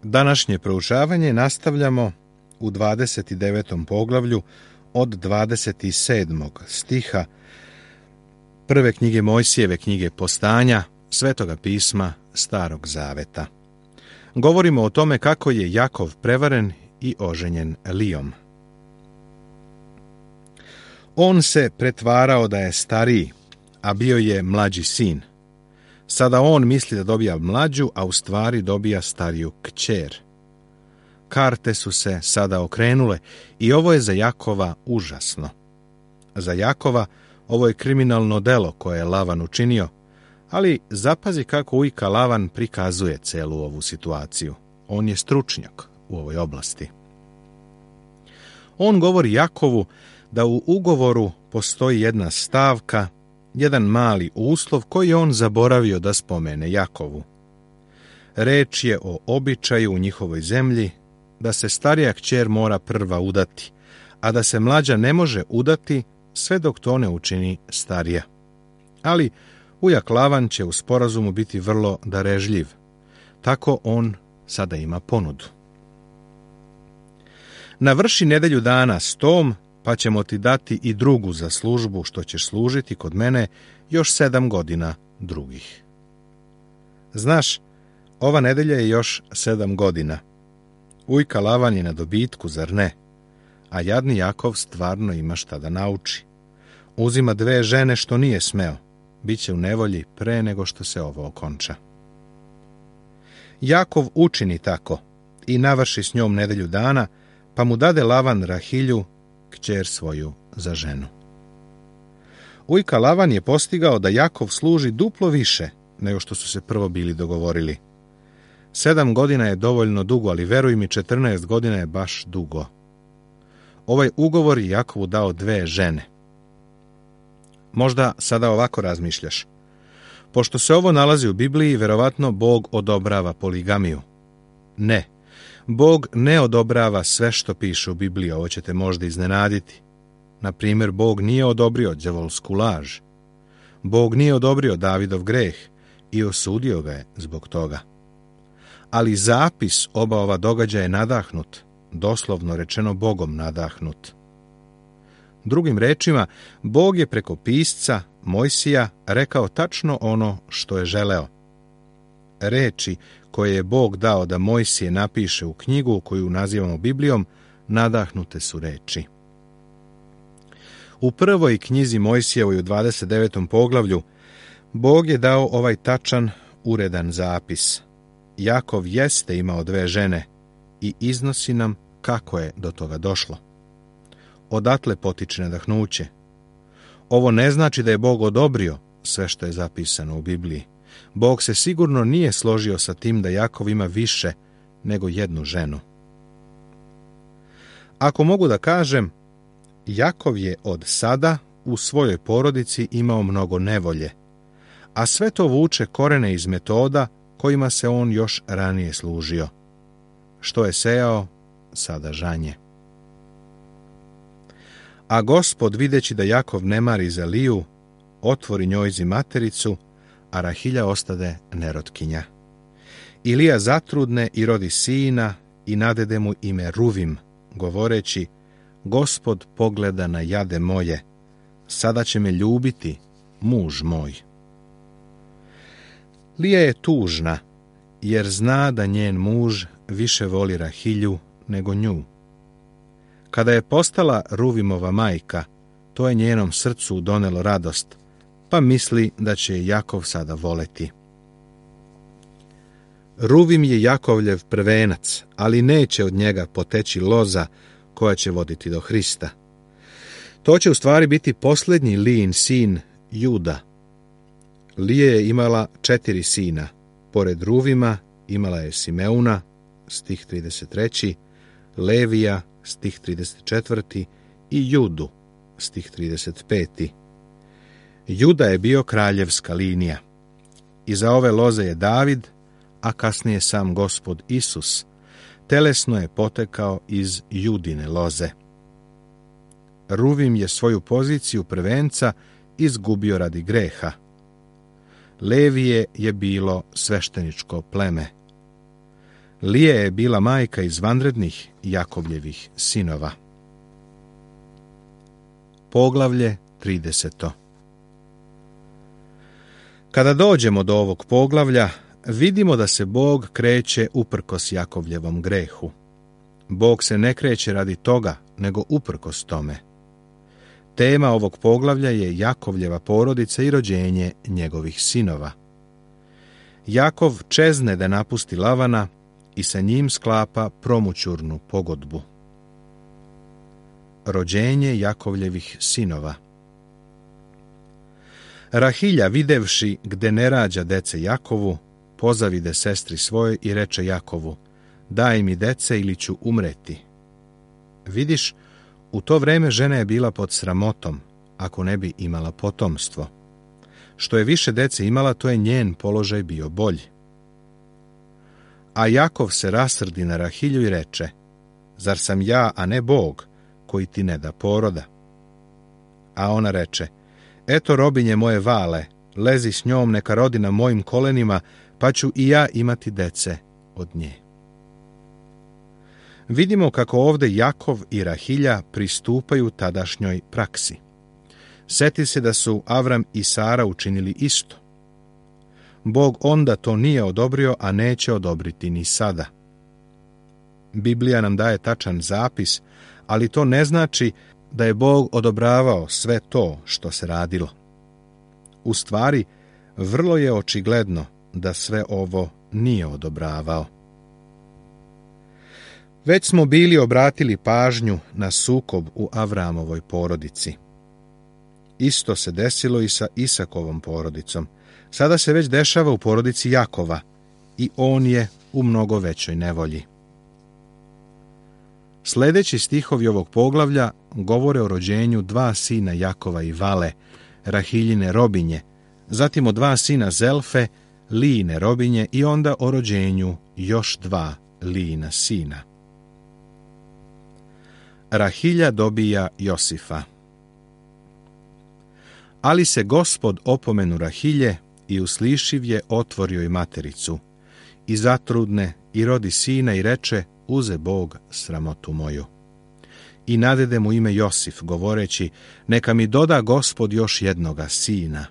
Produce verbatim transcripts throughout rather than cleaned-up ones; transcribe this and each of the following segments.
Današnje proučavanje nastavljamo u dvadeset devetom poglavlju od dvadeset sedmog stiha prve knjige Mojsijeve, knjige Postanja, Svetoga pisma Starog Zaveta. Govorimo o tome kako je Jakov prevaren i oženjen Lijom. On se pretvarao da je stariji, a bio je mlađi sin. Sada on misli da dobija mlađu, a u stvari dobija stariju kćer. Karte su se sada okrenule i ovo je za Jakova užasno. Za Jakova ovo je kriminalno delo koje je Lavan učinio, ali zapazi kako ujka Lavan prikazuje celu ovu situaciju. On je stručnjak u ovoj oblasti. On govori Jakovu da u ugovoru postoji jedna stavka, jedan mali uslov koji je on zaboravio da spomene Jakovu. Reč je o običaju u njihovoj zemlji da se starija kćer mora prva udati, a da se mlađa ne može udati sve dok to ne učini starija. Ali ujak Lavan će u sporazumu biti vrlo darežljiv. Tako on sada ima ponudu. Navrši nedelju dana s tom, pa ćemo ti dati i drugu za službu, što ćeš služiti kod mene još sedam godina drugih. Znaš, ova nedelja je još sedam godina. Ujka Lavan je na dobitku, zar ne? A jadni Jakov stvarno ima šta da nauči. Uzima dve žene što nije smeo. Biće u nevolji pre nego što se ovo okonča. Jakov učini tako i navrši s njom nedelju dana, pa mu dade Lavan Rahilju, kćer svoju, za ženu. Ujka Lavan je postigao da Jakov služi duplo više nego što su se prvo bili dogovorili. Sedam godina je dovoljno dugo, ali veruj mi, četrnaest godina je baš dugo. Ovaj ugovor je Jakovu dao dve žene. Možda sada ovako razmišljaš. Pošto se ovo nalazi u Bibliji, verovatno Bog odobrava poligamiju. Ne. Bog ne odobrava sve što piše u Bibliji, ovo će te možda iznenaditi. Na primjer, Bog nije odobrio đavolsku laž. Bog nije odobrio Davidov greh i osudio ga je zbog toga. Ali zapis oba ova događaja je nadahnut, doslovno rečeno Bogom nadahnut. Drugim rečima, Bog je preko pisca Mojsija rekao tačno ono što je želeo. Reči koje je Bog dao da Mojsije napiše u knjigu koju nazivamo Biblijom, nadahnute su reči. U prvoj knjizi Mojsijevoj u dvadeset devetom poglavlju Bog je dao ovaj tačan, uredan zapis. Jakov jeste imao dve žene i iznosi nam kako je do toga došlo. Odatle potiče nadahnuće. Ovo ne znači da je Bog odobrio sve što je zapisano u Bibliji. Bog se sigurno nije složio sa tim da Jakov ima više nego jednu ženu. Ako mogu da kažem, Jakov je od sada u svojoj porodici imao mnogo nevolje, a sve to vuče korene iz metoda kojima se on još ranije služio. Što je sejao, sada žanje. A Gospod, videći da Jakov ne mari za Liju, otvori njojzi matericu, a Rahilja ostade nerotkinja. I Lija zatrudne i rodi sina i nadede mu ime Ruvim, govoreći: Gospod pogleda na jade moje, sada će me ljubiti muž moj. Lija je tužna, jer zna da njen muž više voli Rahilju nego nju. Kada je postala Ruvimova majka, to je njenom srcu donelo radost, pa misli da će je Jakov sada voleti. Ruvim je Jakovljev prvenac, ali neće od njega poteći loza koja će voditi do Hrista. To će u stvari biti posljednji Lijin sin Juda. Lija je imala četiri sina. Pored Ruvima imala je Simeuna, stih trideset tri, Levija, stih trideset četiri, i Judu, stih trideset pet. Juda je bio kraljevska linija. Iza ove loze je David, a kasnije sam Gospod Isus, telesno je potekao iz Judine loze. Ruvim je svoju poziciju prvenca izgubio radi greha. Levije je bilo svešteničko pleme. Lije je bila majka izvanrednih Jakovljevih sinova. Poglavlje trideseto. Kada dođemo do ovog poglavlja, vidimo da se Bog kreće uprkos Jakovljevom grehu. Bog se ne kreće radi toga, nego uprkos tome. Tema ovog poglavlja je Jakovljeva porodica i rođenje njegovih sinova. Jakov čezne da napusti Lavana i sa njim sklapa promućurnu pogodbu. Rođenje Jakovljevih sinova. Rahilja, videvši gde ne rađa dece Jakovu, pozavide sestri svoje i reče Jakovu: daj mi dece ili ću umreti. Vidiš, u to vreme žena je bila pod sramotom, ako ne bi imala potomstvo. Što je više dece imala, to je njen položaj bio bolji. A Jakov se rasrdi na Rahilju i reče: zar sam ja, a ne Bog, koji ti ne da poroda? A ona reče: eto robinje moje Vale, lezi s njom, neka rodi na mojim kolenima, pa ću i ja imati dece od nje. Vidimo kako ovdje Jakov i Rahilja pristupaju tadašnjoj praksi. Seti se da su Avram i Sara učinili isto. Bog onda to nije odobrio, a neće odobriti ni sada. Biblija nam daje tačan zapis, ali to ne znači da je Bog odobravao sve to što se radilo. U stvari, vrlo je očigledno da sve ovo nije odobravao. Već smo bili obratili pažnju na sukob u Avramovoj porodici. Isto se desilo i sa Isakovom porodicom. Sada se već dešava u porodici Jakova i on je u mnogo većoj nevolji. Sljedeći stihovi ovog poglavlja govore o rođenju dva sina Jakova i Vale, Rahiljine robinje, zatim o dva sina Zelfe, Lijine robinje i onda o rođenju još dva Lijina sina. Rahilja dobija Josifa. Ali se Gospod opomenu Rahilje i uslišiv je otvorio i matericu, i zatrudne i rodi sina i reče: uze Bog sramotu moju. I nadede mu ime Josif, govoreći: neka mi doda Gospod još jednoga sina.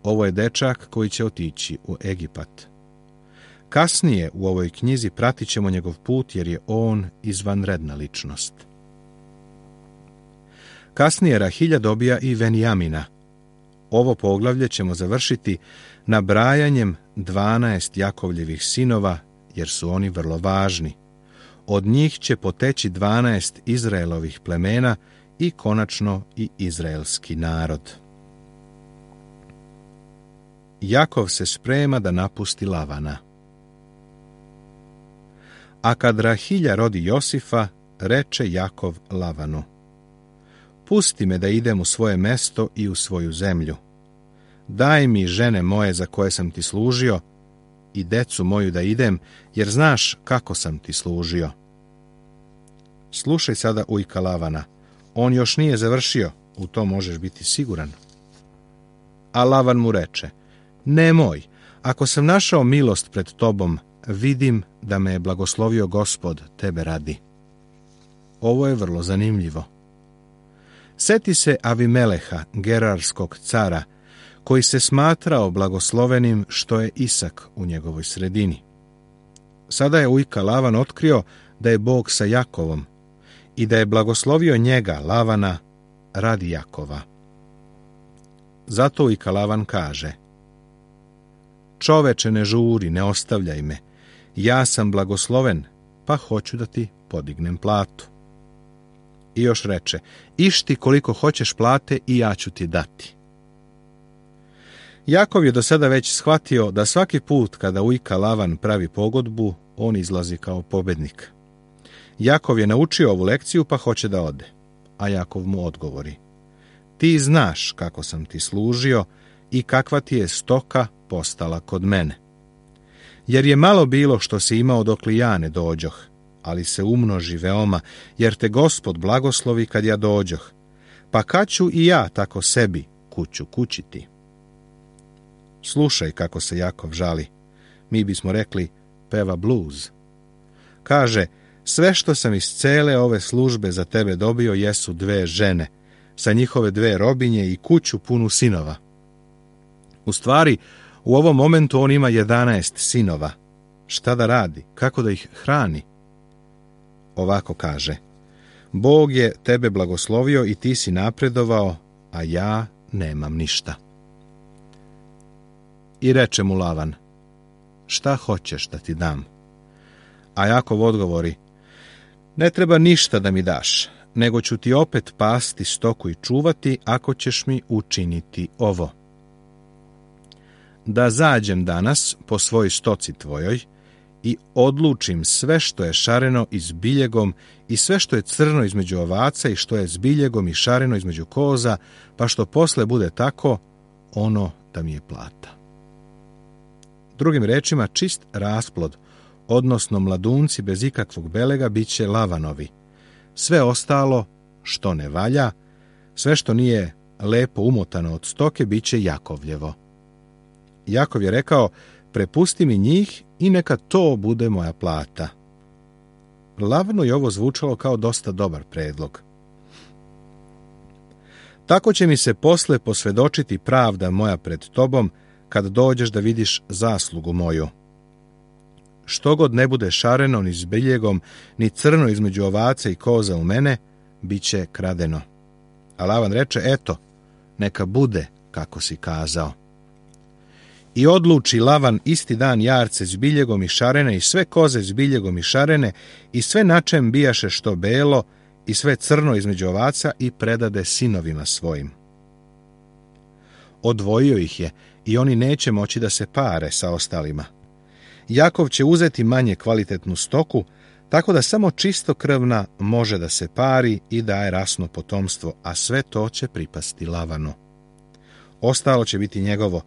Ovo je dečak koji će otići u Egipat. Kasnije u ovoj knjizi pratit ćemo njegov put, jer je on izvanredna ličnost. Kasnije Rahilja dobija i Venjamina. Ovo poglavlje ćemo završiti nabrajanjem dvanaest Jakovljevih sinova, jer su oni vrlo važni. Od njih će poteći dvanaest Izraelovih plemena i konačno i izraelski narod. Jakov se sprema da napusti Lavana. A kad Rahilja rodi Josifa, reče Jakov Lavanu: pusti me da idem u svoje mesto i u svoju zemlju. Daj mi žene moje za koje sam ti služio i decu moju da idem, jer znaš kako sam ti služio. Slušaj sada ujka Lavana, on još nije završio, u to možeš biti siguran. A Lavan mu reče: nemoj, ako sam našao milost pred tobom, vidim da me je blagoslovio Gospod tebe radi. Ovo je vrlo zanimljivo. Seti se Avimeleha, gerarskog cara, koji se smatrao blagoslovenim što je Isak u njegovoj sredini. Sada je ujka Lavan otkrio da je Bog sa Jakovom i da je blagoslovio njega, Lavana, radi Jakova. Zato ujka Lavan kaže: čoveče, ne žuri, ne ostavljaj me, ja sam blagosloven, pa hoću da ti podignem platu. I još reče: išti koliko hoćeš plate i ja ću ti dati. Jakov je do sada već shvatio da svaki put kada ujka Lavan pravi pogodbu, on izlazi kao pobednik. Jakov je naučio ovu lekciju, pa hoće da ode. A Jakov mu odgovori: ti znaš kako sam ti služio i kakva ti je stoka postala kod mene. Jer je malo bilo što si imao dok li ja ne dođoh, ali se umnoži veoma, jer te Gospod blagoslovi kad ja dođoh, pa kad ću i ja tako sebi kuću kućiti. Slušaj kako se Jakov žali. Mi bismo rekli: peva bluz. Kaže, sve što sam iz cele ove službe za tebe dobio jesu dve žene, sa njihove dve robinje i kuću punu sinova. U stvari, u ovom momentu on ima jedanaest sinova. Šta da radi? Kako da ih hrani? Ovako kaže, Bog je tebe blagoslovio i ti si napredovao, a ja nemam ništa. I reče mu Lavan, šta hoćeš da ti dam? A Jakov odgovori, ne treba ništa da mi daš, nego ću ti opet pasti stoku i čuvati ako ćeš mi učiniti ovo. Da zađem danas po svoj stoci tvojoj i odlučim sve što je šareno i s biljegom i sve što je crno između ovaca i što je s biljegom i šareno između koza, pa što posle bude tako, ono da mi je plata. Drugim rečima, čist rasplod, odnosno mladunci bez ikakvog belega, bit će Lavanovi. Sve ostalo, što ne valja, sve što nije lepo umotano od stoke, bit će Jakovljevo. Jakov je rekao, prepusti mi njih i neka to bude moja plata. Lavanu je ovo zvučalo kao dosta dobar predlog. Tako će mi se posle posvedočiti pravda moja pred tobom, kad dođeš da vidiš zaslugu moju. Što god ne bude šareno ni s biljegom, ni crno između ovaca i koza u mene, bit će kradeno. A Lavan reče, eto, neka bude kako si kazao. I odluči Lavan isti dan jarce s biljegom i šarene i sve koze s biljegom i šarene i sve na čem bijaše što belo i sve crno između ovaca i predade sinovima svojim. Odvojio ih je i oni neće moći da se pare sa ostalima. Jakov će uzeti manje kvalitetnu stoku, tako da samo čistokrvna može da se pari i daje rasno potomstvo, a sve to će pripasti Lavanu. Ostalo će biti njegovo.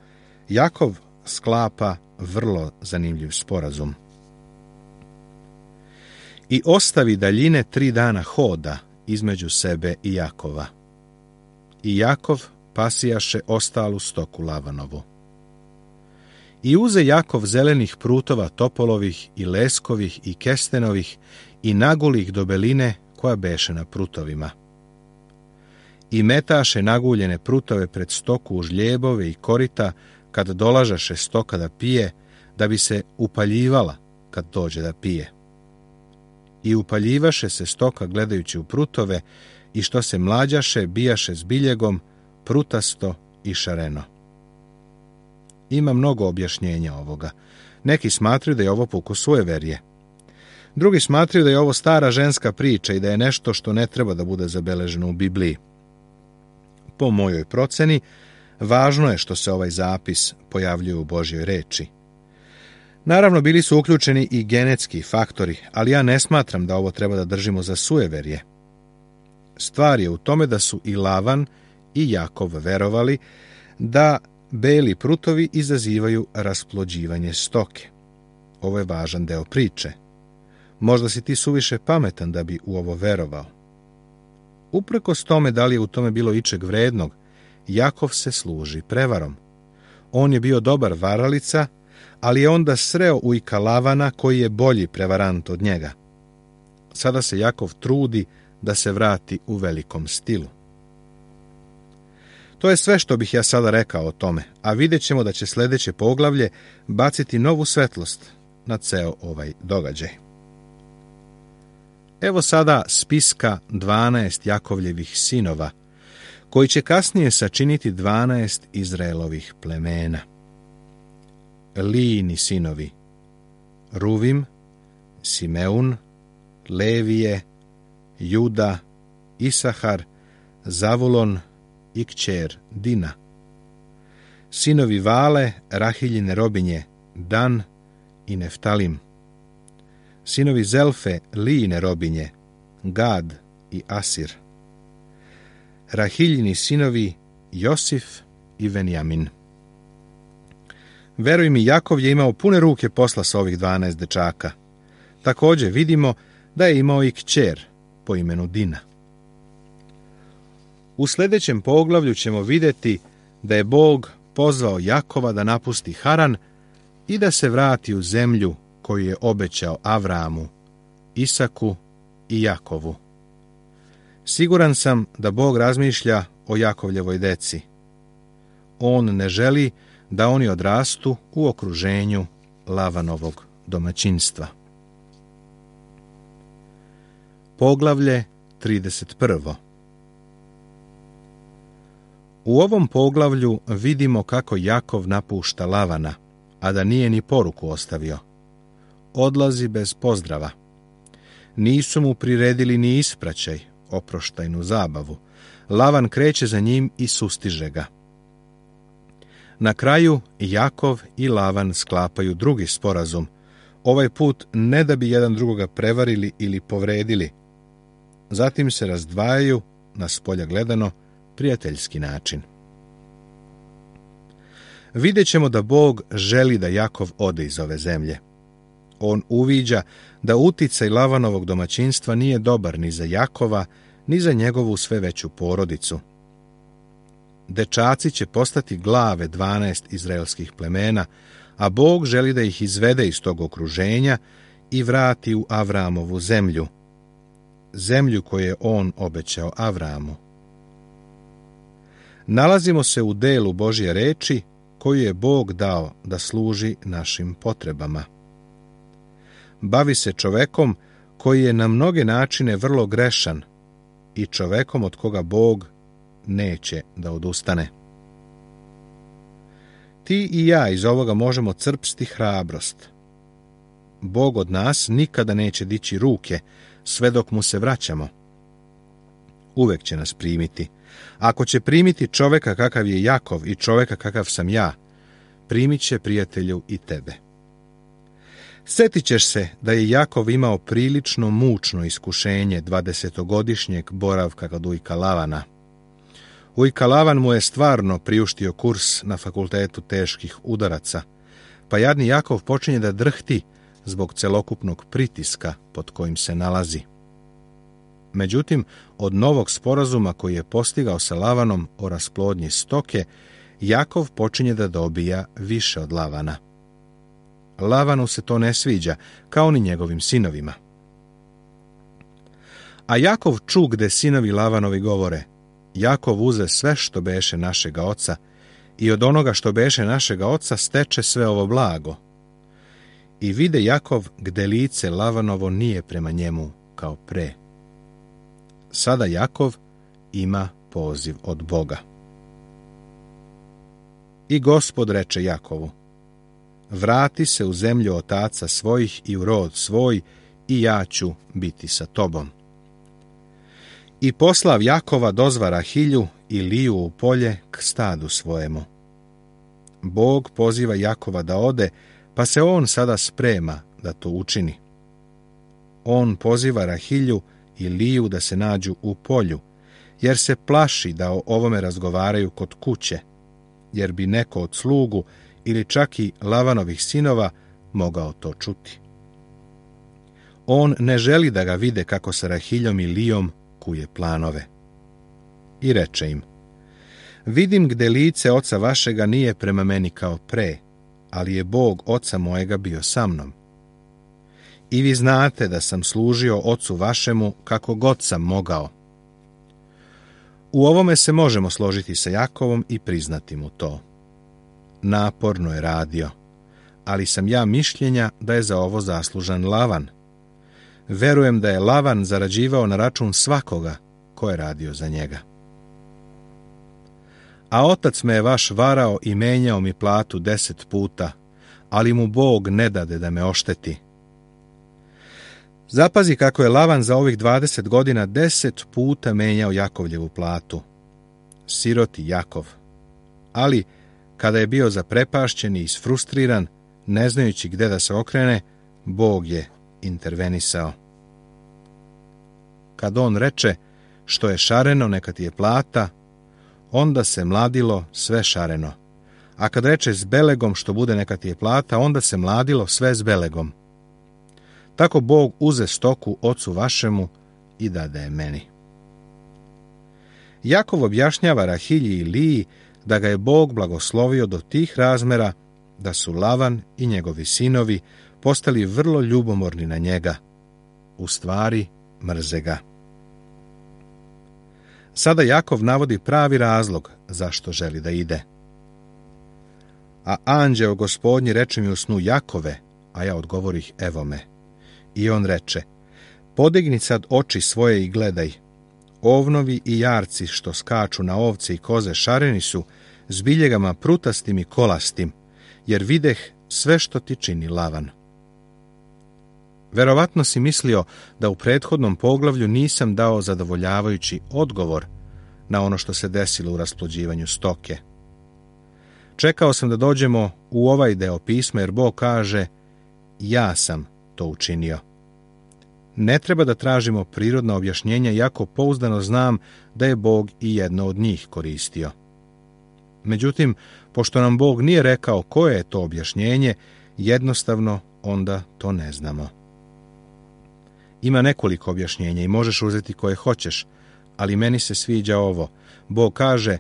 Jakov sklapa vrlo zanimljiv sporazum. I ostavi daljine tri dana hoda između sebe i Jakova. I Jakov pasijaše ostalu stoku Lavanovu. I uze Jakov zelenih prutova topolovih i leskovih i kestenovih i nagulih do beline koja beše na prutovima. I metaše naguljene prutove pred stoku u žljebove i korita kad dolažaše stoka da pije, da bi se upaljivala kad dođe da pije. I upaljivaše se stoka gledajući u prutove i što se mlađaše bijaše s biljegom, prutasto i šareno. Ima mnogo objašnjenja ovoga. Neki smatraju da je ovo pukus sujeverje. Drugi smatraju da je ovo stara ženska priča i da je nešto što ne treba da bude zabeleženo u Bibliji. Po mojoj proceni, važno je što se ovaj zapis pojavljuje u Božjoj reči. Naravno, bili su uključeni i genetski faktori, ali ja ne smatram da ovo treba da držimo za sujeverje. Stvar je u tome da su i Lavan i Jakov verovali da beli prutovi izazivaju rasplođivanje stoke. Ovo je važan deo priče. Možda si ti suviše pametan da bi u ovo verovao. Uprkos tome da li je u tome bilo ičeg vrednog, Jakov se služi prevarom. On je bio dobar varalica, ali je onda sreo ujka Lavana koji je bolji prevarant od njega. Sada se Jakov trudi da se vrati u velikom stilu. To je sve što bih ja sada rekao o tome, a vidjet ćemo da će sljedeće poglavlje baciti novu svetlost na ceo ovaj događaj. Evo sada spiska dvanaest Jakovljevih sinova, koji će kasnije sačiniti dvanaest Izraelovih plemena. Lijini sinovi: Ruvim, Simeun, Levije, Juda, Isahar, Zavulon i kćer Dina. Sinovi Vale, Rahiljine robinje, Dan i Neftalim. Sinovi Zelfe, Lijine robinje, Gad i Asir. Rahiljini sinovi, Josif i Venjamin. Veruj mi, Jakov je imao pune ruke posla sa ovih dvanaest dečaka. Također vidimo da je imao i kćer po imenu Dina. U sljedećem poglavlju ćemo vidjeti da je Bog pozvao Jakova da napusti Haran i da se vrati u zemlju koju je obećao Avramu, Isaku i Jakovu. Siguran sam da Bog razmišlja o Jakovljevoj deci. On ne želi da oni odrastu u okruženju Lavanovog domaćinstva. Poglavlje trideset prvo. U ovom poglavlju vidimo kako Jakov napušta Lavana, a da nije ni poruku ostavio. Odlazi bez pozdrava. Nisu mu priredili ni ispraćaj, oproštajnu zabavu. Lavan kreće za njim i sustiže ga. Na kraju Jakov i Lavan sklapaju drugi sporazum, ovaj put ne da bi jedan drugoga prevarili ili povredili. Zatim se razdvajaju, na spolja gledano, prijateljski način. Vidjet ćemo da Bog želi da Jakov ode iz ove zemlje. On uviđa da uticaj Lavanovog domaćinstva nije dobar ni za Jakova, ni za njegovu sve veću porodicu. Dečaci će postati glave dvanaest izraelskih plemena, a Bog želi da ih izvede iz tog okruženja i vrati u Avramovu zemlju, zemlju koju je on obećao Avramu. Nalazimo se u delu Božje reči koju je Bog dao da služi našim potrebama. Bavi se čovekom koji je na mnoge načine vrlo grešan i čovekom od koga Bog neće da odustane. Ti i ja iz ovoga možemo crpsti hrabrost. Bog od nas nikada neće dići ruke sve dok mu se vraćamo. Uvek će nas primiti. Ako će primiti čoveka kakav je Jakov i čoveka kakav sam ja, primit će, prijatelju, i tebe. Sjetit ćeš se da je Jakov imao prilično mučno iskušenje dvadesetogodišnjeg boravka kod ujka Lavana. Ujka Lavan mu je stvarno priuštio kurs na fakultetu teških udaraca, pa jadni Jakov počinje da drhti zbog celokupnog pritiska pod kojim se nalazi. Međutim, od novog sporazuma koji je postigao sa Lavanom o rasplodnji stoke, Jakov počinje da dobija više od Lavana. Lavanu se to ne sviđa, kao ni njegovim sinovima. A Jakov ču gde sinovi Lavanovi govore: Jakov uze sve što beše našega oca i od onoga što beše našega oca steče sve ovo blago. I vide Jakov gde lice Lavanovo nije prema njemu kao pre. Sada Jakov ima poziv od Boga. I Gospod reče Jakovu: vrati se u zemlju otaca svojih i u rod svoj, i ja ću biti sa tobom. I poslav Jakova dozva Rahilju i Liju u polje k stadu svojemu. Bog poziva Jakova da ode, pa se on sada sprema da to učini. On poziva Rahilju i Liju da se nađu u polju, jer se plaši da o ovome razgovaraju kod kuće, jer bi neko od slugu ili čak i Lavanovih sinova mogao to čuti. On ne želi da ga vide kako sa Rahiljom i Lijom kuje planove. I reče im: vidim gde lice oca vašega nije prema meni kao pre, ali je Bog oca mojega bio sa mnom. I vi znate da sam služio ocu vašemu kako god sam mogao. U ovome se možemo složiti sa Jakovom i priznati mu to. Naporno je radio, ali sam ja mišljenja da je za ovo zaslužan Lavan. Verujem da je Lavan zarađivao na račun svakoga ko je radio za njega. A otac me je vaš varao i menjao mi platu deset puta, ali mu Bog ne dade da me ošteti. Zapazi kako je Lavan za ovih dvadeset godina deset puta menjao Jakovljevu platu. Siroti Jakov. Ali, kada je bio zaprepašćen i isfrustriran, ne znajući gde da se okrene, Bog je intervenisao. Kad on reče: što je šareno, neka ti je plata, onda se mladilo sve šareno. A kad reče s belegom što bude neka ti je plata, onda se mladilo sve s belegom. Tako Bog uze stoku ocu vašemu i dade je meni. Jakov objašnjava Rahilji i Liji da ga je Bog blagoslovio do tih razmera da su Lavan i njegovi sinovi postali vrlo ljubomorni na njega. U stvari, mrze ga. Sada Jakov navodi pravi razlog zašto želi da ide. A anđeo Gospodnji reče mi u snu: Jakove, a ja odgovorih: evo me. I on reče: podigni sad oči svoje i gledaj. Ovnovi i jarci što skaču na ovce i koze šareni su s biljegama prutastim i kolastim, jer videh sve što ti čini Lavan. Verovatno si mislio da u prethodnom poglavlju nisam dao zadovoljavajući odgovor na ono što se desilo u rasplođivanju stoke. Čekao sam da dođemo u ovaj deo pisma, jer Bog kaže: ja sam to učinio. Ne treba da tražimo prirodna objašnjenja, iako pouzdano znam da je Bog i jedno od njih koristio. Međutim, pošto nam Bog nije rekao koje je to objašnjenje, jednostavno onda to ne znamo. Ima nekoliko objašnjenja i možeš uzeti koje hoćeš, ali meni se sviđa ovo. Bog kaže: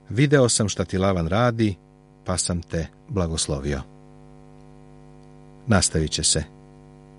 video sam šta ti Lavan radi, pa sam te blagoslovio. Nastavit će se